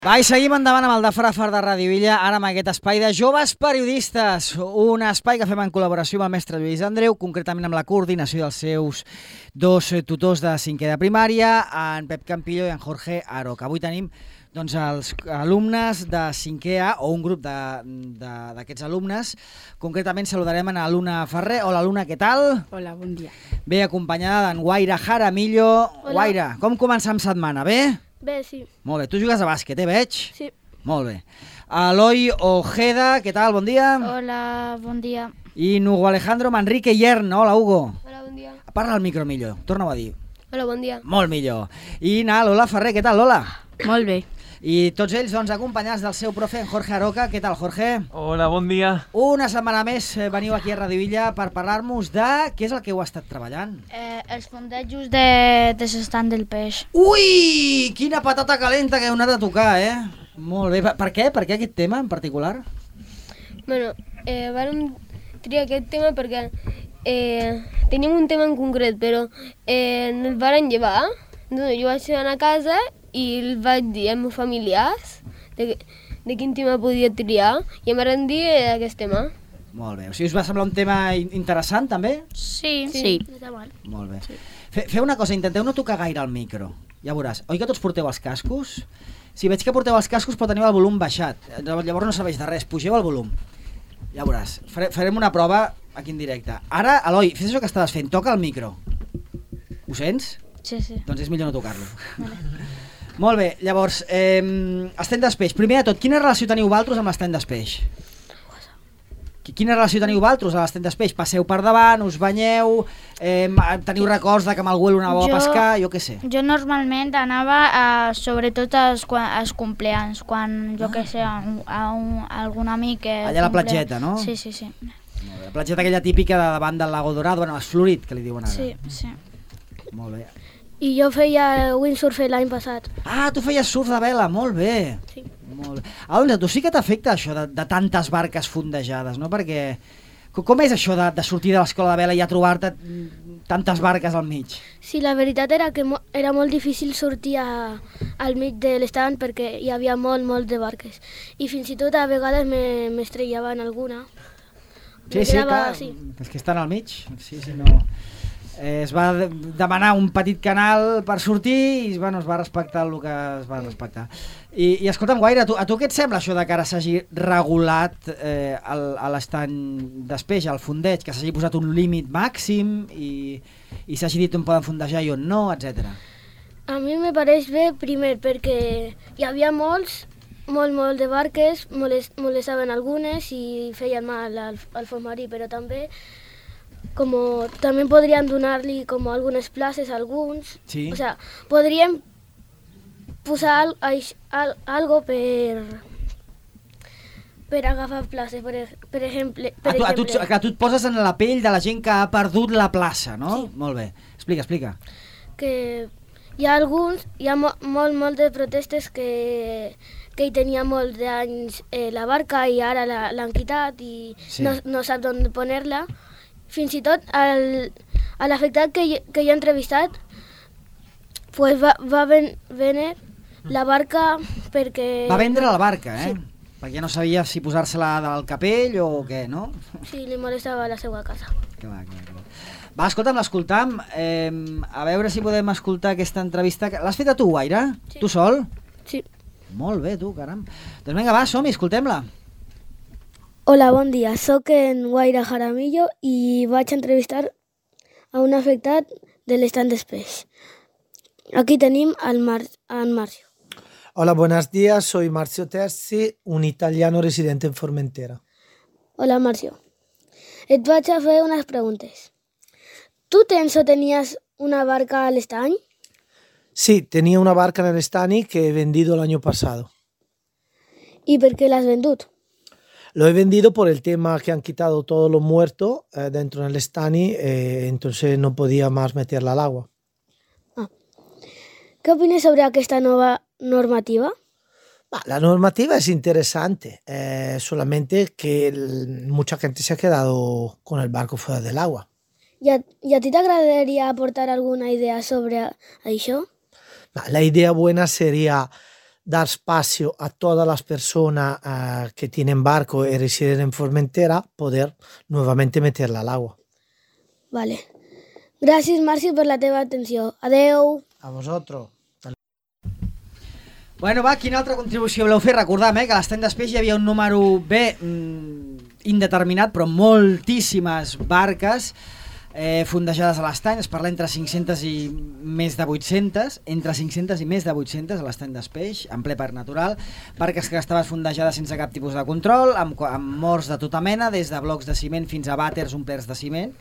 Va, i seguim endavant amb el de Frafar de Ràdio Illa, ara amb aquest espai de joves periodistes, un espai que fem en col·laboració amb el mestre Lluís Andreu, concretament amb la coordinació dels seus dos tutors de cinquè de primària, en Pep Campillo i en Jorge Aroca. Avui tenim doncs, els alumnes de 5è A, o un grup d'aquests alumnes. Concretament saludarem a Luna Ferrer. Hola, Luna, què tal? Hola, bon dia. Bé, acompanyada d'en Guaira Jaramillo. Hola. Guaira, com començam setmana? Bé? Bé, sí. Molt bé. Tu jugues a bàsquet, veig? Sí. Molt bé. Eloi Ojeda, què tal? Bon dia. Hola, bon dia. I Hugo Alejandro Manrique Yern. Hola, Hugo. Hola, bon dia. Parla al micro millor. Torna-ho a dir. Hola, bon dia. Molt millor. I Lola Ferrer, què tal, Lola? Molt bé. I tots ells, doncs, acompanyats del seu profe, en Jorge Aroca. Què tal, Jorge? Hola, bon dia. Una setmana més veniu aquí a Ràdio Illa per parlar-nos de què és el que heu estat treballant. Els fondejos de l'estand del peix. Ui! Quina patata calenta que heu anat a tocar, Molt bé. Per què? Per què aquest tema en particular? Bueno, vam triar aquest tema perquè teníem un tema en concret, però el varen llevar. Doncs jo vaig anar a casa i el vaig dir als meus familiars de quin tema podia triar i em van dir aquest tema. Molt bé. O sigui, us va semblar un tema interessant, també? Sí. Sí. Molt bé. Sí. Feu una cosa, intenteu no tocar gaire el micro. Ja veuràs. Oi que tots porteu els cascos? Si veig que porteu els cascos però teniu el volum baixat. Llavors no serveix de res, pugeu el volum. Ja veuràs. Farem una prova aquí en directe. Ara, Eloi, fes això que estaves fent. Toca el micro. Ho sents? Sí. Doncs és millor no tocar-lo. Molt bé, llavors, estany d'espeix. Primer de tot, quina relació teniu vosaltres amb l'estany d'espeix? Quina relació teniu vosaltres a l'estany d'espeix? Passeu per davant, us banyeu, teniu records de que amb el Güell anàveu a pescar, jo què sé. Jo normalment anava sobretot als compleanys, quan jo què sé, algun amic... Allà a la platgeta, no? Sí. Molt bé. La platgeta aquella típica de davant del Lago Dorado, bueno, Florit, que li diuen ara. Sí. Molt bé. I jo feia windsurf l'any passat. Ah, tu feies surf de vela, molt bé. Sí. Molt bé. Doncs a tu sí que t'afecta això de tantes barques fondejades, no? Perquè com és això de sortir de l'escola de vela i a trobar-te tantes barques al mig? Sí, la veritat era que era molt difícil sortir al mig de l'estand perquè hi havia molt de barques. I fins i tot a vegades m'estrellaven alguna. Sí, clar, sí. És que estan al mig. Sí, no... Es va demanar un petit canal per sortir i bueno, es va respectar el que es va respectar. I escolta'm, Guaira, a tu què et sembla això de que ara s'hagi regulat a l'estany d'espeix, al fondeig, que s'hagi posat un límit màxim i s'hagi dit on poden fondejar i on no, etc. A mi me pareix bé, primer, perquè hi havia molt de barques, molestaven algunes i feien mal al fons marí, però també també podríem donar-li algunes places a alguns. Sí. O sea, podríem posar algo per agafar places, per exemple. Tu et poses en la pell de la gent que ha perdut la plaça, no? Sí. Molt bé. Explica. Que hi ha molt de protestes que hi tenia molts d'anys la barca i ara l'han quitat i sí. no sap on poner-la. Fins i tot a l'afectat que jo he entrevistat pues va vendre la barca perquè... Va vendre la barca, Sí. Perquè no sabia si posar-se-la del capell o què, no? Sí, li molestava la seva casa. Clar. Va, l'escoltam. A veure si podem escoltar aquesta entrevista. L'has feta tu, Guaira? Sí. Tu sol? Sí. Molt bé, tu, caram. Doncs vinga, va, som-hi, escoltem-la. Hola, bon dia. Soc en Guaira Jaramillo i vaig entrevistar a un afectat de l'estand d'espeix. Aquí tenim en Marcio. Hola, buenos días. Soy Marcio Terzi, un italiano residente en Formentera. Hola, Marcio. Et vaig a fer unes preguntes. ¿Tú tens o tenías una barca al estany? Sí, tenía una barca en el Estani que he vendido el año pasado. ¿Y per què l'has vendut? Lo he vendido por el tema que han quitado todos los muertos dentro del Estani, entonces no podía más meterla al agua. ¿Qué opinas sobre aquesta nova normativa? La normativa es interesante, solamente que mucha gente se ha quedado con el barco fuera del agua. I a ti t'agradaria aportar alguna idea sobre això? La idea buena sería dar espacio a todas las personas que tienen barco y residen en Formentera poder nuevamente meterla al agua. Vale. Gràcies, Marci, per la teva atenció. Adeu. A vosotros. Bueno, va, quina altra contribució voleu fer? Recordam, que a l'estany d'espeix hi havia un número indeterminat, però moltíssimes barques fondejades a l'estany. Es parla entre 500 i més de 800, entre 500 i més de 800 a l'estany d'espeix, en ple parc natural. Barques que estaven fondejades sense cap tipus de control, amb morts de tota mena, des de blocs de ciment fins a vàters omplerts de ciment.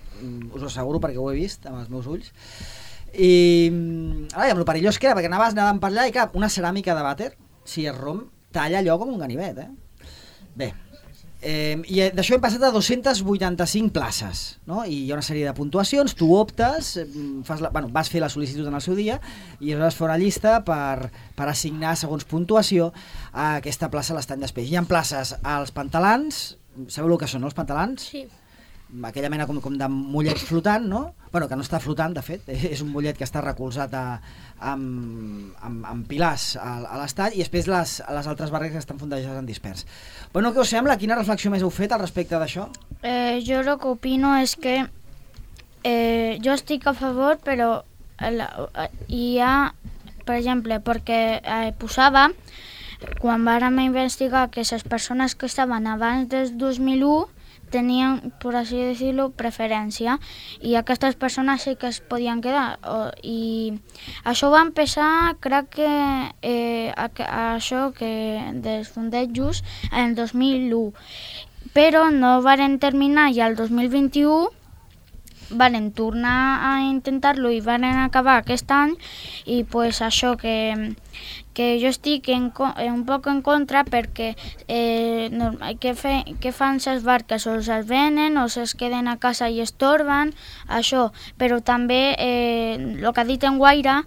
Us ho asseguro perquè ho he vist amb els meus ulls. I amb lo perillós que era, perquè anaven per allà i clar, una ceràmica de vàter, si es romp, talla allò com un ganivet, Bé, i d'això hem passat a 285 places, no? I hi ha una sèrie de puntuacions, tu optes, vas fer la sol·licitud en el seu dia i aleshores fa una llista per assignar segons puntuació a aquesta plaça a l'estany d'espeix. Hi ha places als pantalans, sabeu el que són, no, els pantalans? Sí. Aquella mena com de mollet flotant, no? Bueno, que no està flotant, de fet, és un mollet que està recolzat amb pilars a l'estany, i després les altres barques que estan fondejades en dispers. Bueno, què us sembla? Quina reflexió més heu fet al respecte d'això? Jo el que opino és que jo estic a favor, però hi ha, per exemple, perquè posava, quan vàrem investigar que les persones que estaven abans del 2001 tenien, por así decirlo, preferència, i aquestes persones sí que es podien quedar. I això va empezar, crec que això que dels fondejos en el 2001, però no varen terminar i el 2021 varen tornar a intentar-lo i varen acabar aquest any, i pues això que jo estic un poc en contra, perquè què fan les barques? O es venen o es queden a casa i estorben, això. Però també el que ha dit en Guaira,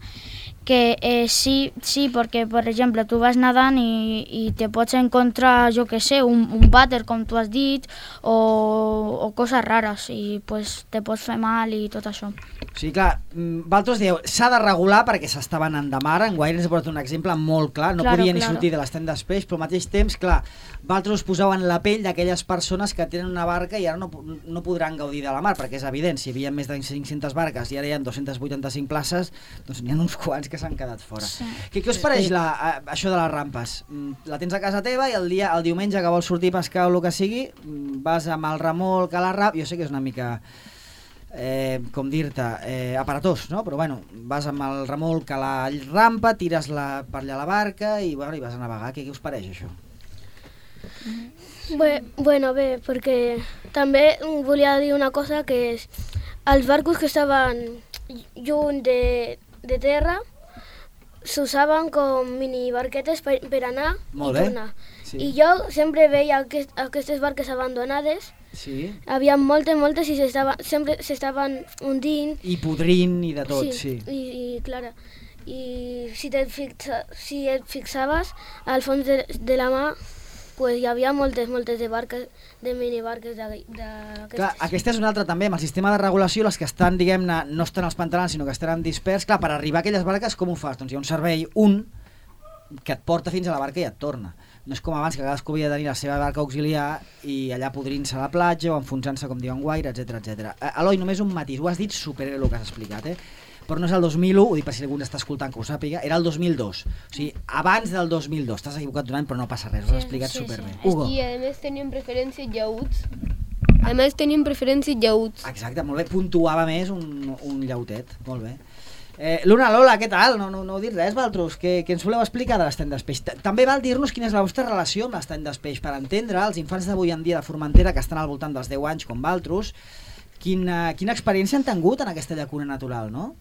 que sí, perquè, per exemple, tu vas nedant i te pots encontrar, jo què sé, un vàter, com tu has dit, o coses rares, i pues, te pots fer mal i tot això. Sí, clar, vosaltres dieu, s'ha de regular perquè s'estava anant de mar. En Guaire ens ha portat un exemple molt clar, no podia ni sortir de l'estany d'espeix, però al mateix temps, clar, vosaltres us poseu en la pell d'aquelles persones que tenen una barca i ara no podran gaudir de la mar, perquè és evident, si hi havia més de 500 barques i ara hi ha 285 places, doncs n'hi ha uns quants que s'han quedat fora. Sí. Què us pareix això de les rampes? La tens a casa teva i el diumenge que vols sortir a pescar o el que sigui, vas amb el remolc a la rampa, jo sé que és una mica... com dir-te, aparatós, no? Però bueno, vas amb el remolc a la rampa, tires per allà la barca i vas a navegar. Què us pareix això? Bé, perquè també volia dir una cosa, que és els barcos que estaven lluny de terra s'usaven com mini barquetes per anar i tornar. Sí. I jo sempre veia aquestes barques abandonades. Sí. Havia moltes i sempre s'estaven hundint. I podrint i de tot, sí. I clar, i si et fixaves, al fons de la mà, pues hi havia moltes de barques, de minibarques d'aquestes. Clar, aquesta és una altra també, amb el sistema de regulació, les que estan, diguem-ne, no estan als pantalans, sinó que estan dispers. Clar, per arribar a aquelles barques, com ho fas? Doncs hi ha un servei, que et porta fins a la barca i et torna. No és com abans, que cadascú havia de tenir la seva barca auxiliar i allà podrint-se a la platja o enfonsant-se, com diuen Guaire, etc. Eloi, només un matís, ho has dit superbé el que has explicat, però no és el 2001, ho dic per si algú està escoltant que ho sàpiga, era el 2002, o sigui, abans del 2002, t'has equivocat d'un any però no passa res, ho has explicat superbé. Hugo. I a més tenien preferència llauts. Exacte, molt bé, puntuava més un llautet, molt bé. Luna, Lola, què tal? No heu dit res, vosaltres? Què ens voleu explicar de l'estany d'espeix? També val dir-nos quina és la vostra relació amb l'estany d'espeix, per entendre els infants d'avui en dia de Formentera, que estan al voltant dels 10 anys com vosaltres, quina experiència han tingut en aquesta llacuna natural, no?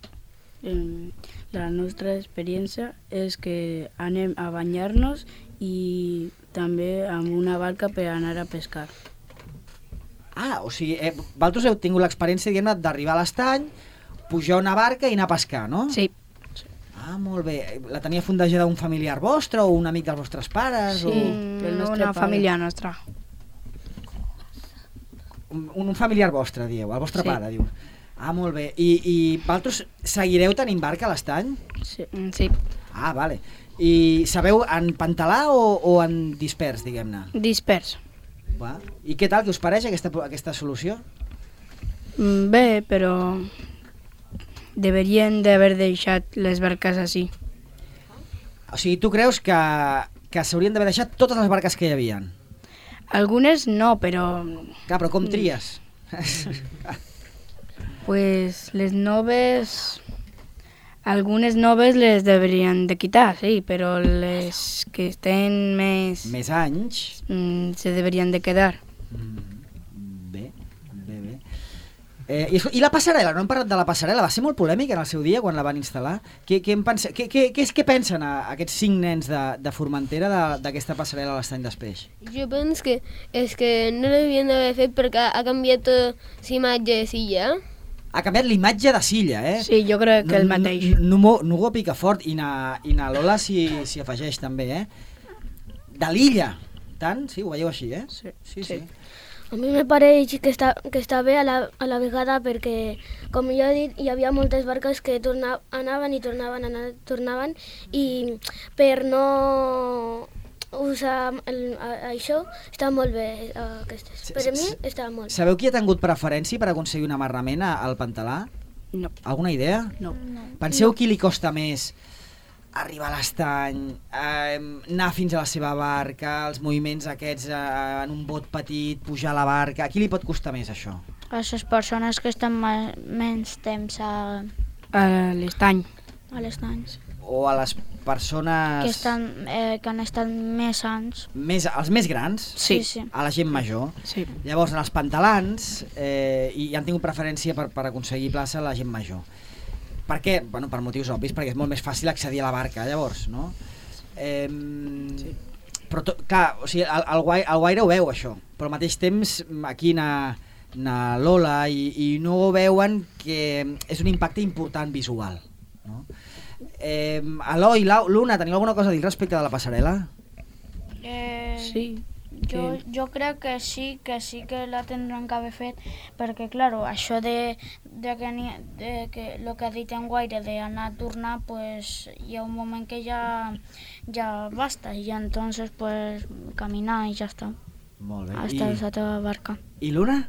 La nostra experiència és que anem a banyar-nos i també amb una barca per anar a pescar. O sigui, vosaltres heu tingut l'experiència, diguem-ne, d'arribar a l'estany, pujar una barca i anar a pescar, no? Sí. Molt bé. La tenia fondejada un familiar vostre o un amic dels vostres pares? Sí, una família nostra. Un familiar vostre, dieu, el vostre pare, diu. Molt bé. I vosaltres seguireu tenint barca a l'estany? Sí. Vale. I sabeu en pantalà o en dispers, diguem-ne? Dispers. Va. I què tal, què us pareix aquesta solució? Bé, però deberien d'haver deixat les barques així. O sigui, tu creus que s'haurien d'haver deixat totes les barques que hi havien? Algunes no, però Clar, però com tries? pues les noves... Algunes noves les deberien de quitar, sí, però les que estan més... Més anys? se deberien de quedar. Bé. I la passarel·la, no hem parlat de la passarel·la, va ser molt polèmica en el seu dia quan la van instal·lar. Què pensen aquests 5 nens de Formentera d'aquesta passarel·la a l'Estany d'Espeix? Jo penso que és que no l'havien d'haver fet perquè ha canviat l'imatge de Silla. Ha canviat l'imatge de Silla, eh? Sí, jo crec que el mateix. No ho pica fort, i na Lola s'hi afegeix també, eh? De l'illa, tant? Sí, ho veieu així, eh? Sí. A mi me pareix que està bé a la vegada perquè, com jo he dit, hi havia moltes barques que anaven i tornaven i per no usar això està molt bé aquestes. Per a mi està molt bé. Sabeu qui ha tingut preferència per aconseguir un amarrament al pantalà? No. Alguna idea? No. Penseu qui li costa més arribar a l'estany, anar fins a la seva barca, els moviments aquests en un bot petit, pujar a la barca... A qui li pot costar més això? A les persones que estan menys temps a L'estany. l'estany. O a les persones... Que han estat més anys. Els més grans? Sí. A la gent major? Sí. Llavors, en els pantalans, i han tingut preferència per aconseguir plaça a la gent major. Per què? Bueno, per motius obvis, perquè és molt més fàcil accedir a la barca, llavors, no? Sí. Però, clar, o sigui, el Guaire ho veu, això, però al mateix temps aquí na Lola i no ho veuen que és un impacte important visual, no? Eloi, Luna, teniu alguna cosa a dir respecte de la passarel·la? Sí. Jo crec que sí que la tindran que haver fet, perquè, clar, això de que el que ha dit en Guaire d'anar a tornar, pues hi ha un moment que ja basta, i entonces pues caminar i ja està. Molt bé. Hasta la teva barca. I Luna?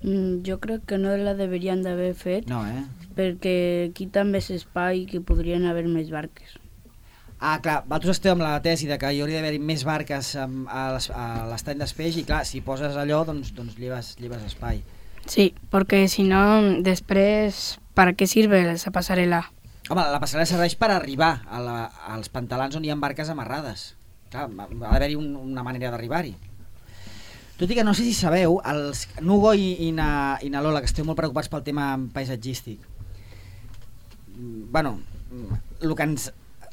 Jo crec que no la deberien d'haver fet, No, perquè quita més espai que podrien haver més barques. Ah, clar, vosaltres esteu amb la tesi de que hi hauria d'haver més barques a l'estany d'Espeix i, clar, si poses allò, doncs lleves espai. Sí, perquè si no, després, ¿para qué sirve esa pasarela? Home, la passarel·la serveix per arribar als pantalans on hi ha barques amarrades. Clar, ha d'haver-hi una manera d'arribar-hi. Tot i que no sé si sabeu, els Nugo i na Lola, que esteu molt preocupats pel tema paisatgístic, bueno, el que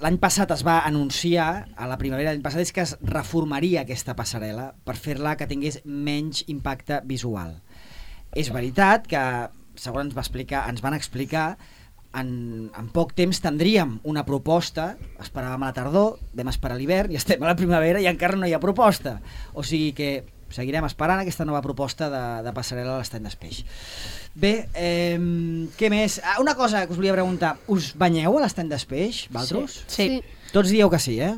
l'any passat es va anunciar, a la primavera l'any passat, és que es reformaria aquesta passarel·la per fer-la que tingués menys impacte visual. És veritat que, segons ens van explicar, en poc temps tindríem una proposta, esperàvem a la tardor, vam esperar a l'hivern i estem a la primavera i encara no hi ha proposta. O sigui que seguirem esperant aquesta nova proposta de passarel·la a l'estany d'Espeix. Bé, què més? Una cosa que us volia preguntar, us banyeu a l'estany d'Espeix, vosaltres? Sí. Tots dieu que sí, eh?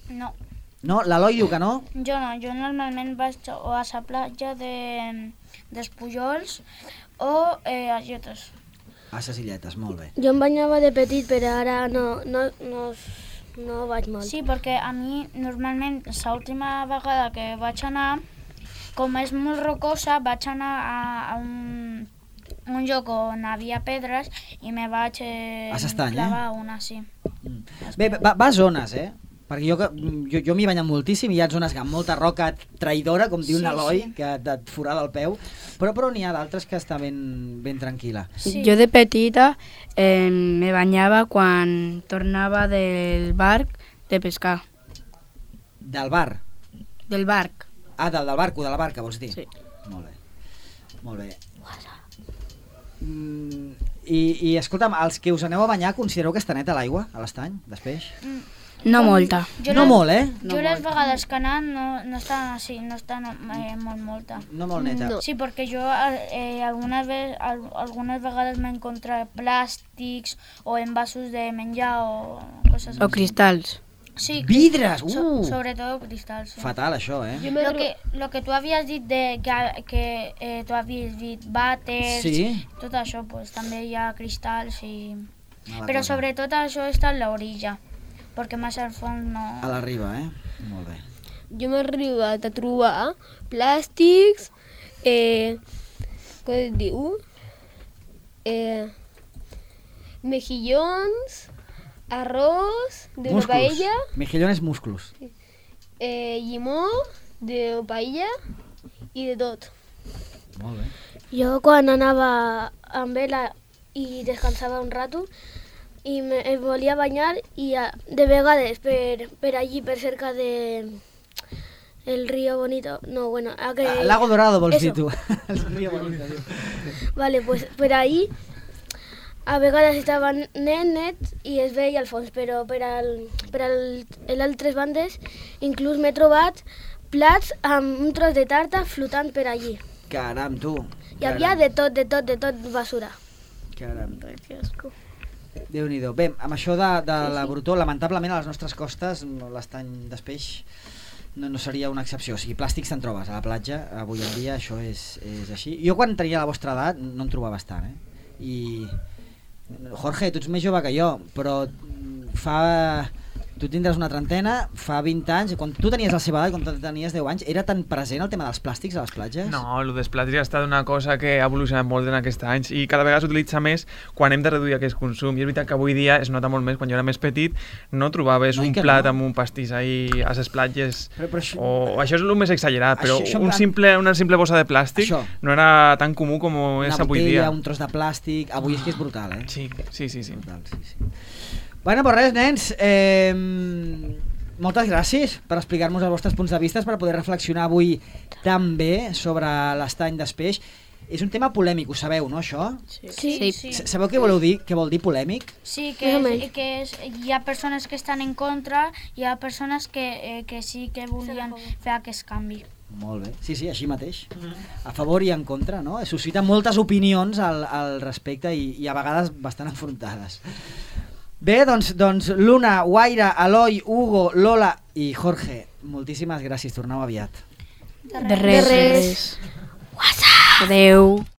No. No? L'Eloi diu que no? Jo no, jo normalment vaig o a la platja dels Pujols o a Illetes. A ses Illetes, molt bé. Jo em banyava de petit, però ara no vaig molt. Sí, perquè a mi normalment l'última vegada que vaig anar, com és molt rocosa, vaig anar a un lloc on hi havia pedres i me vaig clavar una, sí. Bé, va a zones, eh? Perquè jo m'hi he banyat moltíssim i hi ha zones amb molta roca traïdora, com diu l'Eloi, que et forada el peu, però n'hi ha d'altres que està ben tranquil·la. Sí. Jo de petita me banyava quan tornava del barc de pescar. Del bar? Del barc. Ah, del barco, de la barca, vols dir? Sí. Molt bé. I escolta'm, els que us aneu a banyar, considereu que està neta l'aigua a l'estany d'Espeix? No molta. No molt, eh? Jo les vegades que he anat no estan així, no estan molt molta. No molt neta. No. Sí, perquè jo algunes vegades m'he encontrat plàstics o envasos de menjar o coses O cristalls. Sí, Vidres! sobre todo cristal, sí. Fatal, això, Jo m'he Lo que tú habías dicho de que tú habías dicho váters, Sí. tot això, pues també hi ha cristalls i... Mala Però cosa. sobretot això està en l'orilla, perquè més al fons no... A la riba, Molt bé. Jo m'he arribat a trobar plàstics, com es diu? Mejillons, arròs de una paella, Mejillones músculos. llimó de paella i de tot. Molt bé. Jo quan anava amb ell i descansava un rato i em volia banyar i de vegades per allí, per cerca de el río Bonito, no, bueno, Lago Dorado, vols dir Eso. tu. El río Bonito, diu. Vale, pues per ahí a vegades estava net i es veia al fons, però per a altres bandes inclús m'he trobat plats amb un tros de tarta flotant per allí. Caram, tu. Hi havia de tot basura. Caram. Déu-n'hi-do. Bé, amb això de la brutor, lamentablement a les nostres costes l'estany d'Espeix no seria una excepció. O sigui, plàstics te'n trobes a la platja, avui en dia això és així. Jo quan tenia la vostra edat no en trobaves tant, I... Jorge, tu ets més jove que jo, però tu tindràs una trentena, fa 20 anys, quan tu tenies la seva edat, quan tu tenies 10 anys, era tan present el tema dels plàstics a les platges? No, el dels plàstics ha estat una cosa que ha evolucionat molt en aquests anys i cada vegada s'utilitza més quan hem de reduir aquest consum. I és veritat que avui dia es nota molt més, quan jo era més petit no trobaves un plat amb un pastís ahí a les platges, però això... o això és el més exagerat, però això una simple bossa de plàstic no era tan comú com és avui dia. Una botella, un tros de plàstic, avui és que és brutal, Sí. Brutal, sí. Bueno, pues res, nens, moltes gràcies per explicar-nos els vostres punts de vista, per poder reflexionar avui també sobre l'estany d'Espeix. És un tema polèmic, ho sabeu, no, això? Sí. Sabeu què vol dir polèmic? Sí, hi ha persones que estan en contra, hi ha persones que sí que volien fer aquest canvi. Molt bé, sí, així mateix. A favor i en contra, no? Suscita moltes opinions al respecte i a vegades bastant enfrontades. Bé, doncs Luna, Guaira, Eloi, Hugo, Lola i Jorge, moltíssimes gràcies, torneu aviat. De res. Adeu.